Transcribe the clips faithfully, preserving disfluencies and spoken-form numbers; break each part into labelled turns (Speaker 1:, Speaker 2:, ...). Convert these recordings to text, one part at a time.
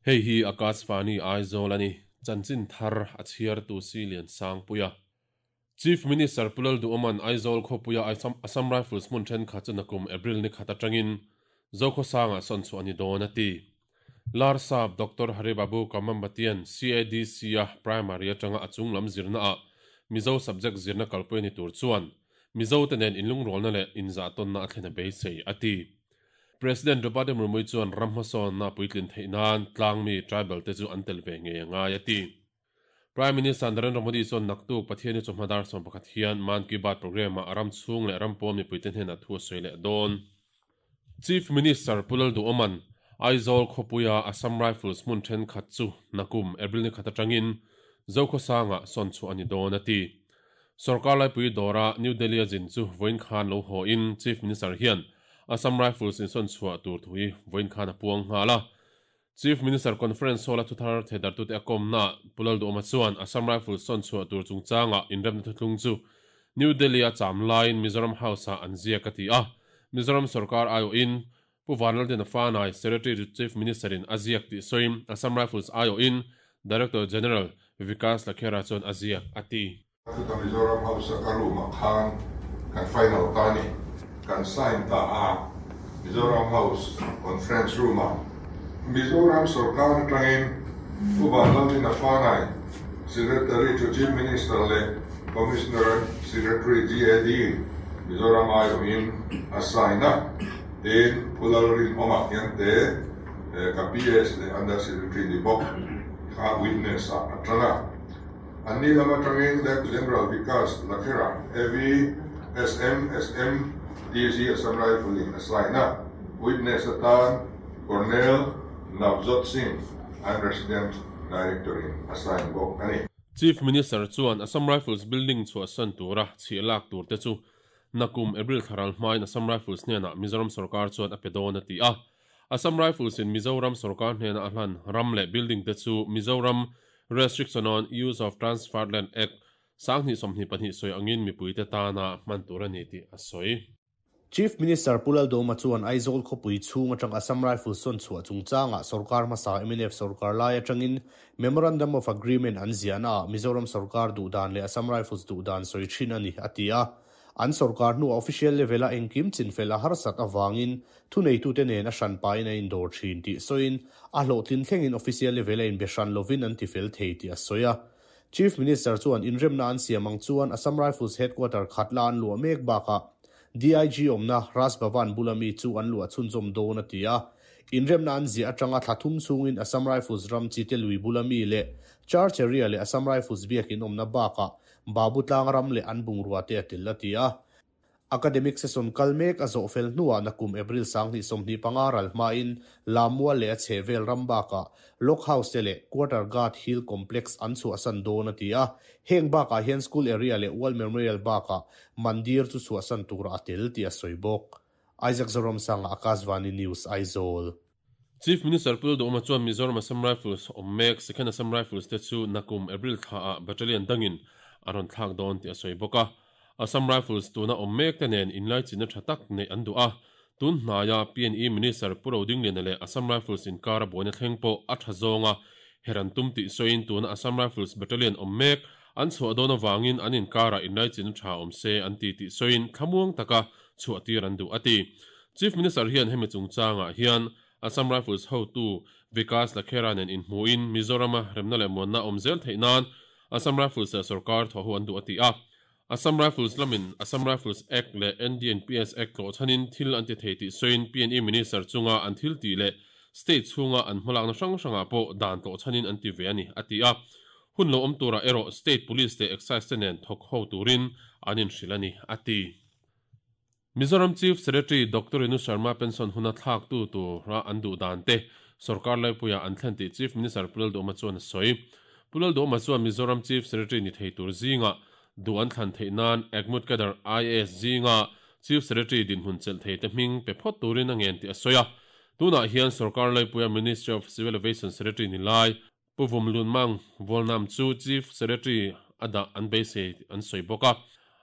Speaker 1: Hei hi Akashvani Aizawl ani chanchin thar a chhiar tu si lian sang puia Chief Minister Pu Lalduhoma'n Aizawl khawpuia Assam Rifles hmun thenkhat chu nakum April ni khat atangin Zokhawsanga sawn chu ani dawn a ti. Larsap Doctor Haribabu Kamambatian C A D C a primary atanga a chunglam zirna a Mizo subject zirna kalpui ni tur chuan Mizo te nen inlung rawlna leh inzah tawnna a thlen a beisei a ti. President Draupadi Murmu chuan ramhmasawn na puitlin theih nan tlangmi tribal te chu an tel ve nge ngai a ti. Prime Minister Narendra Modi chuan naktuk Pathiani chawhmadar sawm pakhat hian Man Ki Baat program a ram chhung leh ram pawm mipuite hnenah thu a sawi leh dawn. Chief Minister Pu Lalduhoma'n Aizawl khawpuia Assam Rifles hmun thenkhat chu nakum April ni khat atangin Zokhawsanga sawn chu ani dawn a ti. Sarkar laipui dawra New Delhi a zin chu vawiin khan lo haw in Chief Minister hian Assam Rifles in sawn chhuah tur thui vawiin khan a puang nghal a. Chief Minister Conference Hall a thuthar thedar tute a kawmna Pu Lalduhoma chuan Assam Rifles sawn chhuah tur chungchanga inremna thutlung chu New Delhi a cham laiin Mizoram House a an ziak a ti a. Mizoram Sarkar aio in Pu Vanlaldena Fanai Secretary to Chief Minister in a ziak tih sawiin Assam Rifles aio in Director General Vikas Lakhera chuan a ziak a ti.
Speaker 2: Chuta Mizoram House a ka room ah khan kan final ta ni kan sign ta a Mizoram House conference room ah Mizoram Sarkar atangin Pu Vanlaldena Fanai Secretary to Chief Minister leh Commissioner Secretary G A D Mizoram aio in a sign a tin Pu Lalrinawma hian te ka P S leh Under Secretary ni bawk kha witness a atanga Anni lama tangin Left General Vikas Lakhera A V S M S M D G Assam Rifle in a sign a witness atan Colonel Navjot Singh and Resident Director in a sign bawk ani.
Speaker 1: Chief Minister chuan Assam Rifles building chhuah san tura chhi lak tur te chu nakum April tharal hmain Assam Rifles hnenah Mizoram Sarkar chuan a pe dawn a ti a. Assam Rifles in Mizoram Sarkar hnenah a hlan ram leh building te chu Mizoram Restriction on Use of Transferred Land Act sanghnih sawmhnih pahnih sawi angin mipuite tana hman tur ani tih a sawi.
Speaker 3: Chief Minister Pu Lalduhoma chuan Aizawl khawpui chhung atang Assam Rifles sawn chhuah chungchanga Sarkar hmasa M N F Sarkar lai atangin Memorandum of Agreement an ziahna ah Mizoram Sarkar duhdan leh Assam Rifles duhdan sawi thin ani a ti a. An Sarkar hnu official level a engkim chinfel a harsat awangin thuneitute nen a hran pain a indawr thin tih sawiin a hlawhtlin thlengin official level a inbe hran lovin an tifel thei tih a sawi a. Chief Minister chuan inremna an siam ang chuan Assam Rifles headquarter khatla an luah mek bakah D I G awmna Raj Bhavan bulami chu an luah chhunzawm dawn a ti a. Inremna an ziah atanga thlathum chungin Assam Rifles ram chi te lui bulami leh Church area leh Assam Rifles biakin awmna bakah Babu tlang ram leh an bungrua te a tel a ti a. Academic session kalmek a zawh fel hnuah nakum April sanghnih sawmhnih panga ral hmain Lammual leh a chhehvel ram bakah Lock House te leh Quarter Guard Hill Complex an chhuah san dawn a ti a. Heng bakah hian school area leh World Memorial bakah mandir chu chhuah san tura a tel tih a sawi bawk. Isaac Zoram Sanga Akashvani News Aizawl.
Speaker 1: Chief Minister Pu Lalduhoma chuan Mizoram Assam Rifles awm mek Second Assam Rifles te chu nakum April thla ah battalion dangin a rawn thlak dawn tih a sawi bawk a. Assam Rifles tuna awm mek te nen inlai chinna tha tak nei an duh a. Tun hnaia P N E Minister Pu Rodingliana leh Assam Rifles inkar a buaina thleng pawh a tha zawnga heran tum tih sawiin tuna Assam Rifles battalion awm mek an chhuah dawn awangin an inkara inlai chinna tha awm se an ti tih sawiin thlamuang taka chhuah tir an duh a ti. Chief Minister hian hemi chungchangah hian Assam Rifles hotu Vikas Lakhera nen inhmuin Mizorama remna leh muanna awm zel theih nan Assam Rifles leh Sarkar thaw hu an duh a ti a. Assam Rifles lamin Assam Rifles Act leh N D N P S Act tlawh chhanin thil an ti thei tih sawiin P N E Minister chunga an thil tih leh state chhunga an hmalakna hrang hrangah pawh dan tlawh chhanin an ti ve ani a ti a. Hun lo awm tura erawh state police leh excise te nen thawk ho turin an inhrilh ani a ti. Mizoram Chief Secretary Doctor Renu Sharma pension huna thlak tu tura an duh dan te Sarkar laipuia an thlen tih Chief Minister Pu Lalduhoma chuan a sawi. Pu Lalduhoma chuan Mizoram Chief Secretary ni thei tur zinga du an thlan theih nan Agmut Kadar I A S zinga Chief Secretary dinhmun chelh thei te hming pe phawt turin a ngen tih a sawi a. Tunah hian Sarkar laipuia Ministry of Civil Aviation Secretary ni lai Pu Vumlun Mang Volnam chu Chief Secretary ada an beisei an sawi bawk a.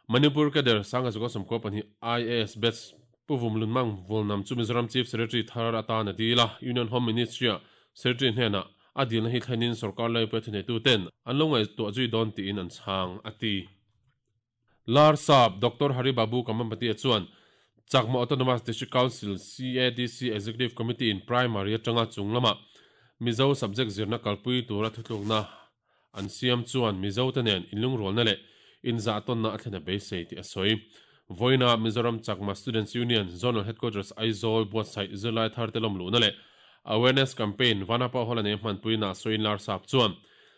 Speaker 1: Manipur cadre sanga zuka somko pani I A S batch puvum lunmang volnam chu Mizoram Chief Secretary thar atan adila Union Home Ministry Secretary hnena adil na hi thlenin sarkar lai pathine tu ten anlongai to zui don ti in an chang ati Lar Saab Doctor Hari Babu Kamampati chuan Chakma Autonomous District Council C A D C Executive Committee in primary atanga chunglama Mizo subject zirna kalpui tura thutlukna an siam chuan Mizo tenen inlung rolna le in za ton na athlena beisei ti asoi Voina Mizoram Chakma Students Union Zonal Headquarters Aizawl buatsaih zirlai thar te lawm luhna le awareness campaign vanapa holane hmanpuina soin lar sap chuan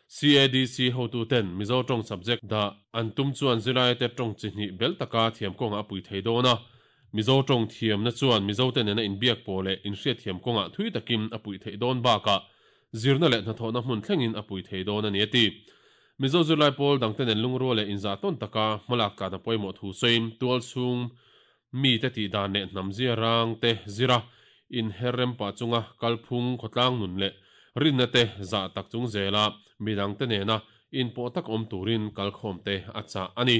Speaker 1: C A D C hotu ten Mizo tong subject da antum chuan zirlai te tong chi hnih bel taka thiam kawnga pui thei dawna Mizo tong thiam na chuan Mizo te nena inbiak pawh leh inhriat thiam kawnga thui takin a pui thei dawn bakah zirna leh hnathawhna hmun thlengin a pui thei dawn ani ati Mizo zirlai pawl dang ten lungrual leh inzah tawn taka hmalak tlan a pawimawh thu sawiin tual chhung mi te tih dan leh hnam zia rang te zira in herrem pa chunga kalphung khawtlang nun leh rinna te zah tak chung zela midang te nena in pawh tak awm turin kalkhawm te a chah ani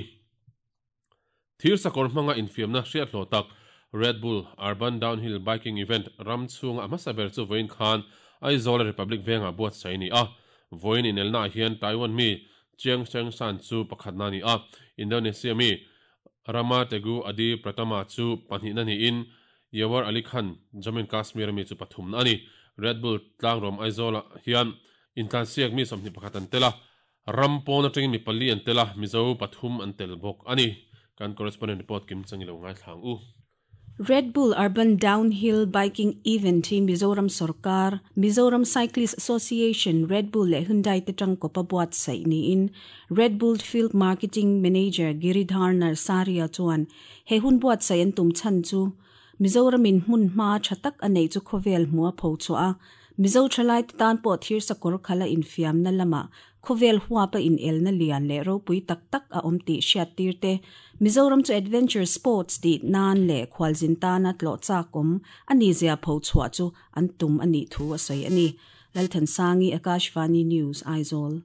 Speaker 1: Thir sakawr hmanga infiamna hriat hlawh tak Red Bull Urban Downhill Biking Event ram chhunga hmasa ber chu vawiin khan Aizawl Republic venga buatsaih ni a Voin in elna hian Taiwan mi Chiang Cheng San chu pakhatna ni a Indonesia mi Rama Tegu Adi Pratama chu pahnihna ni in Yawar Ali Khan Jammu and Kashmir mi chu pathumna ani Red Bull tlangrawm Aizawl hian intlansiak mi sawmhnih pakhat an tela rampawn atangin mi pali an tela Mizo pathum an tel bawk ani kan correspondent report kim changilo ngai thlang u
Speaker 4: Red Bull Urban Downhill Biking Event hi Mizoram Sarkar, Mizoram Cyclist Association, Red Bull le Hyundai te tangkopa buatsaih ni in Red Bull Field Marketing Manager Giridhar Narsaria chuan he hun buatsaih an tum chan chu Mizoram in hmun hma thatak anei chu khawvel hmua pho chu a Mizo thalai te tan pawh thir sakawr khala infiamna lama khawvel huapa in elna lian le ropui tak tak a awm tih hriat tir te Mizoram chu adventure sports ti nan le khwalzin tana tlo chak awm ani zia pho chhuah chu an tum ani thu a sawi ani Lalthansangi Akashvani News Aizawl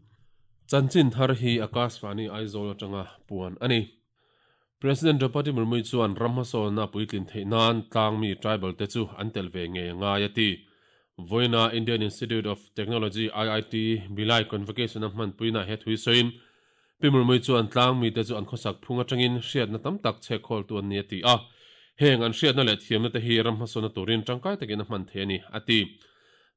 Speaker 1: Chanchin thar hi Akashvani Aizawl atanga puan ani President Draupadi Murmu chuan ramhasawlna puitlin theih nan tlangmi tribal te chu an tel ve nge ngai ati Voina Indian Institute of Technology I I T Bhilai Convocation a hmanpuina he thui sawiin Pi Murmu chuan tlangmi te chu an khawsak phung atangin hriatna tam tak chhek khawl tu an ni ati a heng an hriatna leh thiamna te hi ramhasawlna turin tangkai takin a hman thei ani ati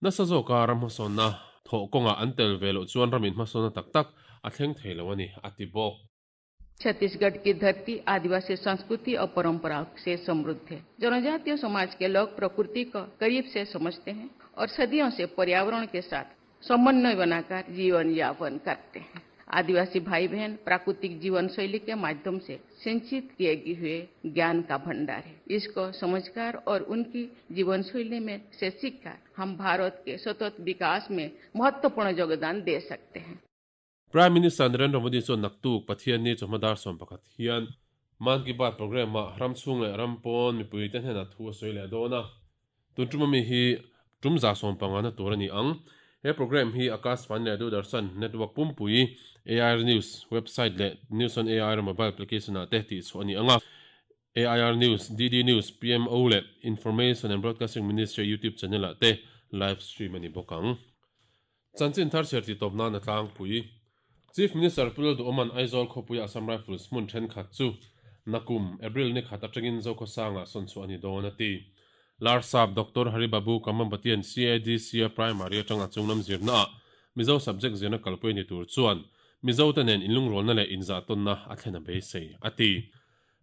Speaker 1: nasa zawka ramhasawlna thawh kawnga an tel ve loh chuan ramin hmasawlna tak tak a thleng thei lo ani ati bawk
Speaker 5: Chhattisgarh की धरती आदिवासी संस्कृति और परंपरा से समृद्ध है। जनजातीय समाज के लोग प्रकृति को करीब से समझते हैं और सदियों से पर्यावरण के साथ समन्वय बनाकर जीवन यापन करते हैं। आदिवासी भाई बहन प्राकृतिक जीवन शैली के माध्यम से सिंचित किए हुए ज्ञान का भंडार है। इसको समझकर और उनकी जीवन शैली में से सीखकर हम भारत के सतत विकास में महत्वपूर्ण योगदान दे सकते हैं।
Speaker 1: Prime Minister Narendra Modi chuan naktuk Pathian ni chawhmadar sawm pakhat hian Man Ki Baat program ah ram chhung leh ram pawn mipui te hnenah thu a sawi leh dawn a tun tum ami hi tum za sawm panga na tur ani ang he program hi Akashvani leh Doordarshan network pumpui A I R News website leh News on A I R mobile application ah te tih chhuah ani anga A I R News D D News P M O leh Information and Broadcasting Ministry YouTube channel ah te live stream ani bawk ang chanchin thar chher ti tawp nan a tlangpui Chief Minister Pu Lalduhoma'n Aizawl khawpui Assam Rifles hmun thenkhat chu nakum April ni khat atangin Zokhawsanga sawn chu ani dawn ati Lar Saab Doctor Hari Babu Kamampatian C A D C a primary atanga chunglam zirna a Mizo subject zirna kalpui ni tur chuan Mizo te nen inlungrawlna leh inzah tawnna a thlena beisei ati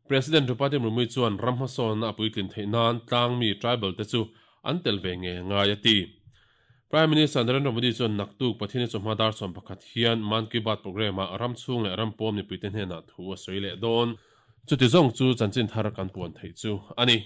Speaker 1: President Draupadi Murmu chuan ramhasawlna a puitlin theih nan tlangmi tribal te chu an tel ve nge ngai ati Prime Minister Narendra Modi chuan naktuk Pathian chawhmadar sawm pakhat hian Man Ki Baat program ah ram chhung leh ram pawm ni puite hnenah thu a sawi leh dawn chuti zawng chu chanchin thar kan puan thei chu ani.